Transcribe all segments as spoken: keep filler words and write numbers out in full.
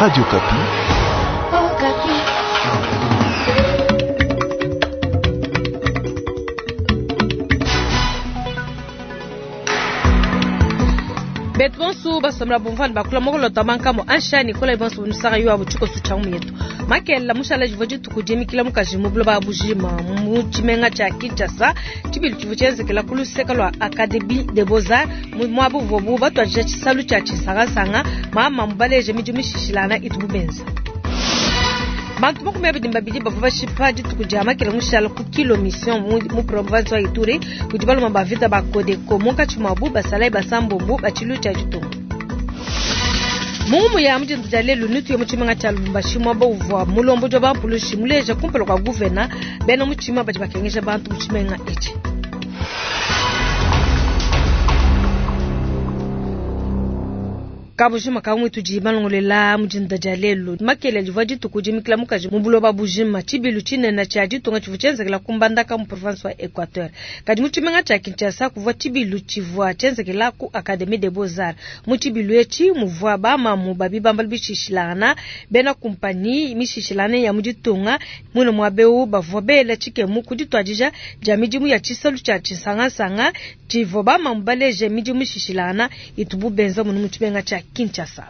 Radio Okapi. Betu bonso basomela bumvana bakula mokolota mankamo anshani kola bonso bunusaka yo abuchiko sucha yetu makela mushala jivo dituku dimikila mukaji mu buloba bujima mu tshimenga tshia Kinshasa tshibilu tshivua tshienzekela ku luseke lua Académie des Beaux-Arts muabu uvuabu batuadija tshisalu tshia tshisangasanga mama mubaleje midimu mishishilana itubu benza. Bantu makumi abidi babidi bavua bashipa dituku dia makela mushala ku kilo mission mu province wa Ituri kudi baluma ba vita ba Codeco munkatshi muabu basalayi basambombo ba tshilu tshia ditunga. Mungu ya mujindu dia lelu nutu ya mutshimenga tshia Lubumbashi muaba uvua mulombodi wa bampulushi muleja kumpala kua guvena bena mutshima badi bakengesha bantu mu tshimenga etshi. Kabujima kamwe tudi malongolela mujinda dia lelu makele livwa dituku dimikila mukaji mu buloba bujima tshibilu tshinene tshia ditunga tshivua tshienzekela ku Mbandaka mu province wa Equateur kadi mu tshimenga tshia Kinshasa kuvua tshibilu tshivua tshienzekela ku Académie des Beaux-Arts mu tshibilu etshi muvua bamamu babi bambala bishishilana bena kumpanyi mishishilana ya mu ditunga muine muabeu bavua bela tshikemu ku dituadija dia midimu ya tshisalu tshia tshisangasanga tshivua bamamu baleje midimu mishishilana itubu benza munu mu tshimenga tshia Kinshasa.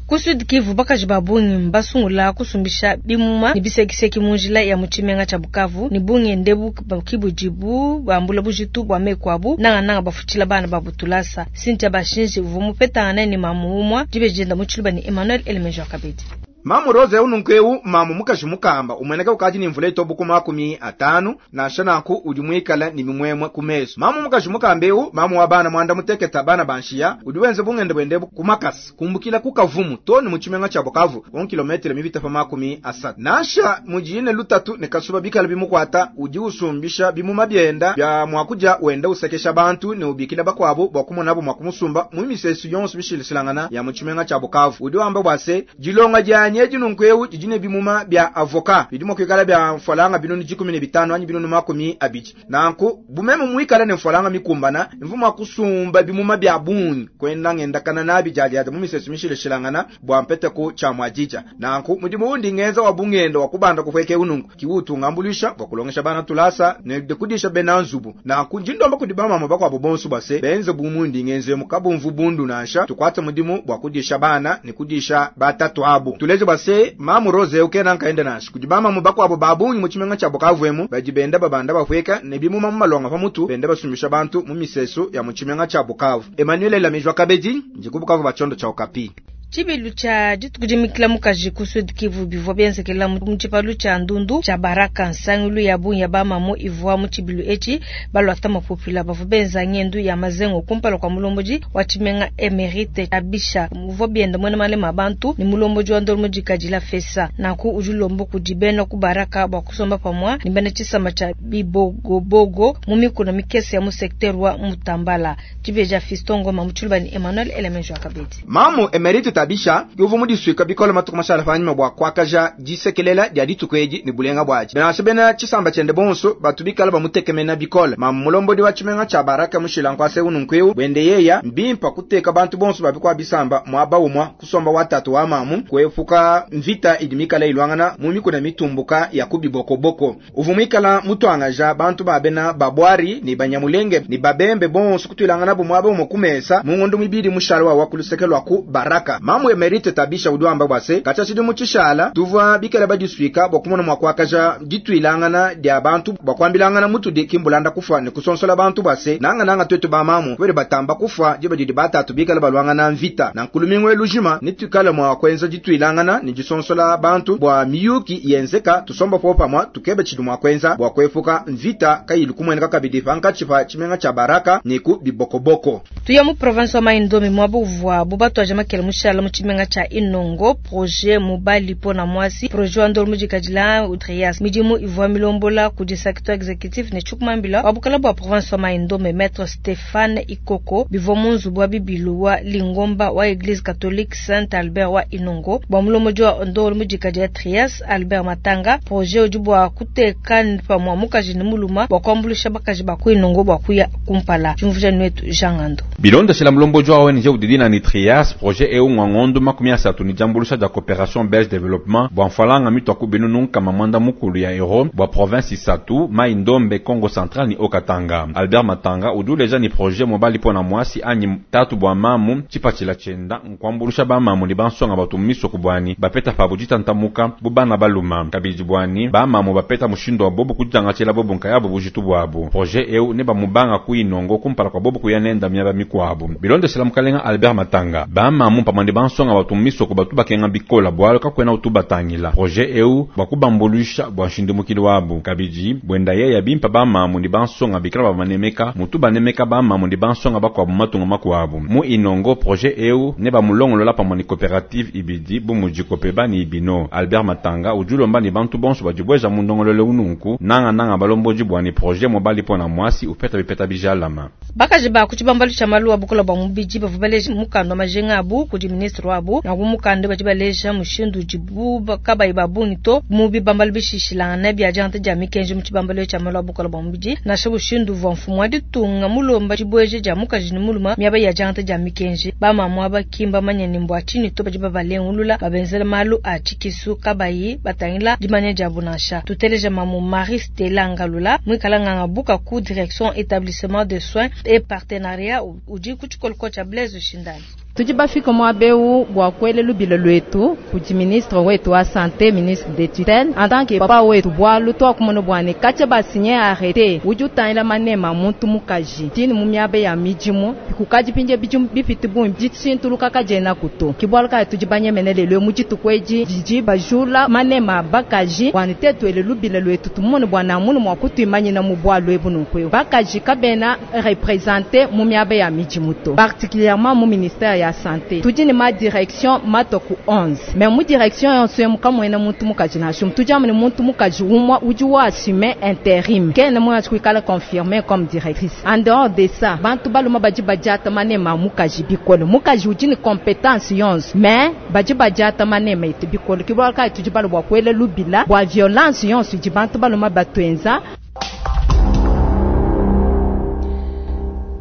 Ku Sud Kivu bakaji ba bungi mbasungula kusumbisha bimuma ne bisekiseki mu njila ya mu tshimenga tshia Bukavu ne bungi ndebu kibudibu bambula bujitu bua meku abu nangananga bafutshila bana ba butulasa. Cynthia Bashinji uvua mupetangana ne mamu umua dibejenda mu tshiluba ne Emmanuel Elemejo Kabedi. Mamu Rose ununkweu mamu mukaji mukamba umweneka ukaji ni mvula itobu makumi atanu nansha nanku udi mwikala ni mimwemwe kumeso. Mamu mukaji mukamba eu mamu wa bana mwanda muteketa bana banshiya udi wenze bungende bwende kumakasi kumbukila kukavumu toni mu tshimenga tshia Bukavu on kilometre mivita pa makumi asatu. Nansha mujine lutatu ne kasuba bikala bimukwata udi usumbisha bimuma byenda bya mwakuja wenda usekesha bantu ne ubikila bakwabo bwa kumonabo mwakumusumba mu misesu yonso bishilisilangana ya mu tshimenga tshia Bukavu. Udi wamba bwase jilonga janye nunkweu jijine bimuma bya avoka bidimo kwikala bya mfalanga binunu jikumi ne bitano anyi binunu makumi abiji nanku bumeme mwikala ne mfalanga mikumbana mvuma kusumba bimuma bya bungi kwenda ngenda kana nabi jaja mu misesu mishilishilangana bwa mpete ku cha mwajija nanku mudimu undi ngenza wa bungendo wa kubanda kufweke unungu kiutu ngambulisha bwa kulongesha bana tulasa ne dekudisha benanzubu nanku njindomba kudibama mama bakwa bobonsu base benze bumundi ngenze mukabumvu bundu nansha tukwata mudimu bwa kudisha bana ne kudisha batatu abu tuleje base mamu Rose ukena nkaenda nashi kujibama mubako abo babunyi mu tshimenga tshia Bukavu emu bajibenda babanda bafweka ne bimuma mu malonga pa mutu benda basumisha bantu mu misesu ya mu tshimenga tshia Bukavu. Emmanuel Lamejwa Kabedi njikubukavu bachondo cha Okapi. Tshibilu tshia dituku dimikila mukaji ku Sud Kivu bivua bienzekela mu tshipalu tshia Ndundu tshia Baraka nsangilu ya bungi ya bamamu ivua mu tshibilu etshi balwata mapupila bavua benza ngendu ya mazengo kumpala kua mulombodi wa tshimenga Emerite Abisha uvua bienda muena malema bantu ne mulombodi wa ndolo mudikadila fesa nanku udi ulomba kudi bena ku Baraka bua kusomba pamua ne bena tshisamba tshia Bibogobogo mu mikuna mikese ya mu secteur wa Mutambala. Tshibeja Fiston Ngoma mu tshiluba ne Emmanuel Elemenjo Kabedi. Mamu Emerite Tabisha yuvu mudiswika bikola matuku mashala panyuma bwa kwakaja disekelela dia dituku edi ne bulenga bwaji benasha bena tshisamba tshiende bonso batu bikala bamutekemena bikola mamu mulombodi wa tshimenga tshia Baraka mushila nkwase ununkweu bwende yeya mbimpa kuteka bantu bonso babikwa bisamba mwaba umwa kusomba watatu wa mamu kwefuka mvita idi mikala ilwangana mu mikuna mitumbuka ya kubibokoboko uvu mwikala mutwangaja bantu babena babwari ni banyamulenge ni babembe bonso kutwilangana bu mwaba umwe kumesa mungondo mibiri mushalo wa kulusekelwa ku Baraka. Mamu Emerite Tabisha udwamba bwase kacha chidimu chishala tuvwa bikela badiswika bwakumona mwakwakaja ditwilangana dia bantu bwakwambilangana mutu di kimbulanda kufa ne kusonsola bantu bwase nanga nanga twetu ba mamu kwere batamba kufa jiba didi batatu bikela balwangana mvita na nkulumingwe lujima nitukala mwa kwenza ditwilangana ni disonsola bantu bwa miyuki yenzeka tusomba popa mwa tukebe chidimu akwenza bwa kwefuka mvita kayilu kumweneka kabidi panka chipa chimenga cha Baraka niku bibokoboko. Tuya mu province wa Maindombe mwabu uvwa bubatu ajamakela mushala mu tshimenga tsha Inongo projet mobali pona mwasi projet wa ndolo mudikadila Trias midimu ivua milombola kudi secteur executif ne tshukumambila wa bukala bua province wa Maindombe maître Stéphane Ikoko bivua mu nzubu wa bibilu wa Lingomba wa Église catholique Saint Albert wa Inongo bua mulombodi wa ndolo mudikadila Trias Albert Matanga projet udi bua kuteka pamua mukaji ne muluma bua kuambulisha bakaji ba ku Inongo bua kuya kumpala. Jumvuja nwetu Jean Ngando Bilonda shila mulombodi wa O N G udidina ni Trias projet eu Munkatshi mua ngondu makumi asatu ni diambuluisha dia Coopération Belge Développement bua mfalanga mitua ku binunu nkama mwanda mukulu ya euro bua province isatu Mai Ndombe, Kongo Central ni Haut-Katanga. Albert Matanga udi uleja ni projet mobali pona mwasi anyi tatu bua mamu tshipatshila tshienda nkuambulusha ba mamu ni bansonga batu misoko bwani bapeta pabu ditantamuka bu bana baluma kabidi bwani ba mamu bapeta mushindo wa bobu kuditangatshila bobu nkayabo bujitu bwabu. Projet eu ne bamubanga ku inongo kumpala kwa bobu kuya nenda miaba mikwabu. Bilondeshela mukalenga Albert Matanga ba mamu pamwe bansonga batu misoko batu bakenga bikola bwalo kakwena utubatangila. Projet eu bakubambulusha bwa nshindumukili wabu kabidi bwenda yeya bimpa ba mamu ni bansonga bikala babanemeka mutu banemeka ba mamu ni bansonga bakwabu matunga makwabu mu inongo. Projet eu ne bamulongolola pamwe ni coopérative ibidi bumuji kopeba ni ibino. Albert Matanga ujulomba ni bantu bonso badibweza mundongolole ununku nanga nanga balomboji bwa ni projet mobali pona mwasi upeta bipeta bijalama. Bakaji ba kuchibambalu cha malu bukola bwa mubiji bavua baleja mukanda wa majenga abu kudi ministre wabu na kumukanda badi baleja mushindu udibu kabayi babungi to mu bibambalu bishishilangana bia diangata dia mikenji mu tshibambalu tshia malu a bukola bwa mubiji nansha mushindu uvua mfumu wa ditunga mulomba dibweje dia mukaji ne muluma miaba ya diangata dia mikenji. Bamamu aba kimba manya ne mbua tshinyi to badi babalengulula babenzela malu a tshikisu kabayi batangila dimanya diabu nansha. Tuteleja mamu Marie Stella Ngalula mwikala nganga buka ku direction établissement de soins et partenariat udi ku tshikoloko tshia Blaise Shindani. Tudi bafika muaba bua kuela lubila luetu kudi ministre wetu wa santé, ministre de tutelle, en tant que papa wetu bualu tuakumona bua ne katshia basinye arrêté udi utangila manema muntu mukaji tini mu miaba ya midimu kukadi pinje bidimu bipite bungi ditshintuluka kadiena kuto ke bualu kaya tudi banyemene lelo mu dituku edi didi bajula manema bakaji bua ne tetu ele lubila luetu tumone bua namunu mua kutuimanyina mu bualu ebu nunku eu bakaji kabena représenter mu miaba ya midimu to particulièrement mu ministère ya santé. Tudi ne ma direction matoku onze mais mu direction yonso emu kamuena muntu mukaji nansha tudi amu ne muntu mukaji umue udi wa assumer intérim kena muanji kuikala confirmé comme directrice. En dehors de ça bantu baluma badi badiata manema mukaji bikole mukaji udi ne compétence yonso mais badi badiata manema etu bikole ke bualu kayi tudi balu bua kuela lubila bua violence yonso idi bantu baluma batuenza.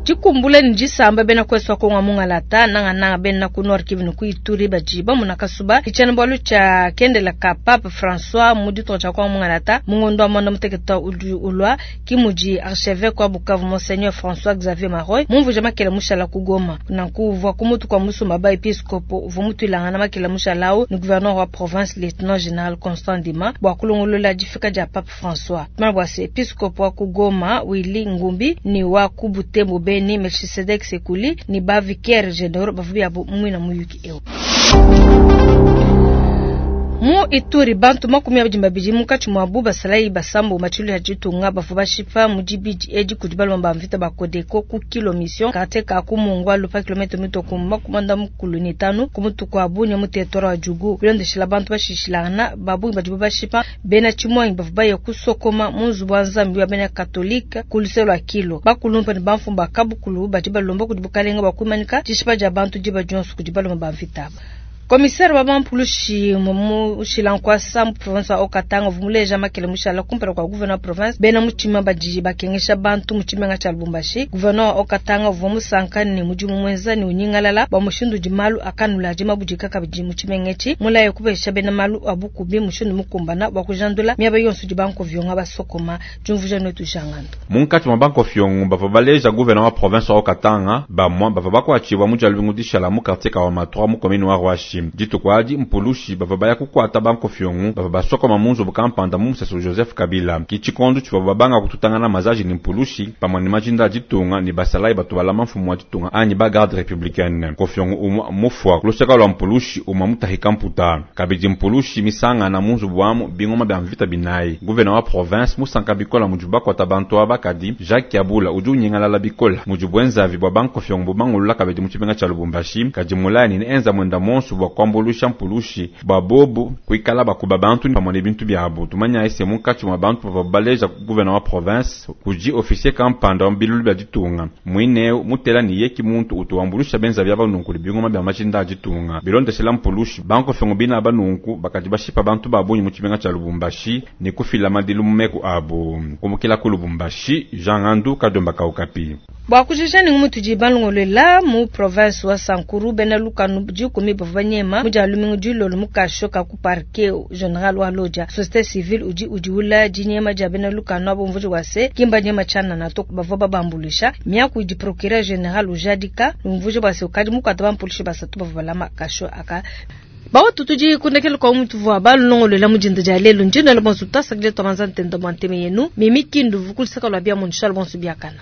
Dikumbula ni disamba bena kwesu wa Kongo mungalata nanga nanga bena ku Nord Kivu ku Ituri bajiba munakasuba ichana bwalu cha kendela ka Pape François mu ditunga tshia Kongo mungalata mungondo wa mwanda muteketa udi ulwa kimuji archevêque wa Bukavu Monseigneur François Xavier Maroy mumvuja makela mushala ku Goma nanku uvua kumutu kwa musumba ba episcopo uvua mutuilangana makela mushala au ni gouverneur wa province lieutenant général Constant Ndima bua kulongolola difika dia Pape François tumana bua se episcopo wa ku Goma Willy Ngumbi ni wa ku Butembo Beni Melchisedek Sekuli ni ba vicaire généraux bavubi abo mwina muyuki eo. Mu Ituri bantu makumi abidi babidi munkatshi muabu basalayi basambo matshilu ya ditunga bavua bashipa mu dibidi edi kudi balomba mvita ba Kodeko ku kilo mission quartier ka ku Mungwa lupa kilomètre mitoko makumanda mukulu ni tanu ku mutuku wa Bunia mu territoire wa Djugu bilondeshela bantu bashishilangana babungi badibu bashipa bena tshimwangi bavua baya kusokoma mu nzubu wa nzambi wa bena katolike ku luselo lua kilo bakulumpa ne bamfumba kabukulu badi balomba kudi bukalenga bua kuimanika dishipa dia bantu diba dionso kudi balomba ba mvita aba. Commissaire wa bampulushi mu Shilankwasa mu province wa Haut-Katanga vumuleja makele mushala kumpala kwa gouverneur province bena mutima badi bakengesha bantu mu tshimenga tshia Lubumbashi. Gouverneur wa Haut-Katanga uvua musanka ne mudimu mwenza ne unyingalala bua mushindu udi malu akanula adi mabudika kabidi mu tshimenga etshi mulaye kupesha bena malu abukubi mushindu mukumbana bua kujandula miaba yonso idi bankovionga basokoma diumvuja netu jangando. Munkatshi mua bankofiongo bavua baleja gouverneur wa province wa Haut-Katanga bamua bavua bakuatshibua mu dia lumingu dishala mu quartier Kawama trois mu commune wa Ruashi. Dituku adi mpulushi bavua baya kukuata bankofiongo bavua basokoma mu nzubu kampanda mu musesu Joseph Kabila ki tshikondo tshivua babanga kututangana mazaji ni mpulushi pamue ne majinda a ditunga ni basalayi batu balama mfumu wa ditunga anyi ba garde républicaine. Nkofiongo umua mufua kuluseka lua mpulushi umua mutahika mputa kabidi mpulushi misangana mu nzubu wamu bingoma bia mvita binayi. Gouverneur wa province musanka bikola mudi bakuata bantu aba kadi Jacques Kyabula udi unyingalala bikola mudi bwenzavi bua bankofiongo bubangulula kabidi mu tshimenga tshia Lubumbashi kadi mulaya ne enza mwenda monso bua bua kuambuluisha mpulushi bua bobu kuikala bakuba bantu pamue ne bintu biabu. Tumanya se munkatshi mua bantu bavua baleja gouverneur wa province kudi officier kampanda wa bilulu bia ditunga muine mutela ni yeki muntu utu wambuluisha benza bia banunku bingoma bia majinda a ditunga bilondeshela mpulushi bankofengo bina banunku bakadi bashipa bantu ba bungi mu tshimenga tshia Lubumbashi ne kufila madilu mu meku abu. Kumukila ku Lubumbashi, Jean Ngandu Kadomba Kaukapi. Bua kujija ni ngumu tudi balongolola mu province wa Sankuru bena lukanu dikumi bavua banyema mu dia lumingu dilolo mu kasho ka ku parquet general wa Lodja. Société civile udi udiula dinyema dia bena lukanu abo mvuji wa se kimba nyema tshianana to bavua babambulisha miaku idi procureur general ujadika mvuji wa se ukadi mukwata bampulishi basatu bavua balama kasho aka. Bawetu tudi kundekela kwa mutu vua balongolola mu dinda dia lelu ndino le bonso tasakile twamanza ntenda mwa nteme yenu mimi kindu vukulisaka lwa bia munshal bonso biakana.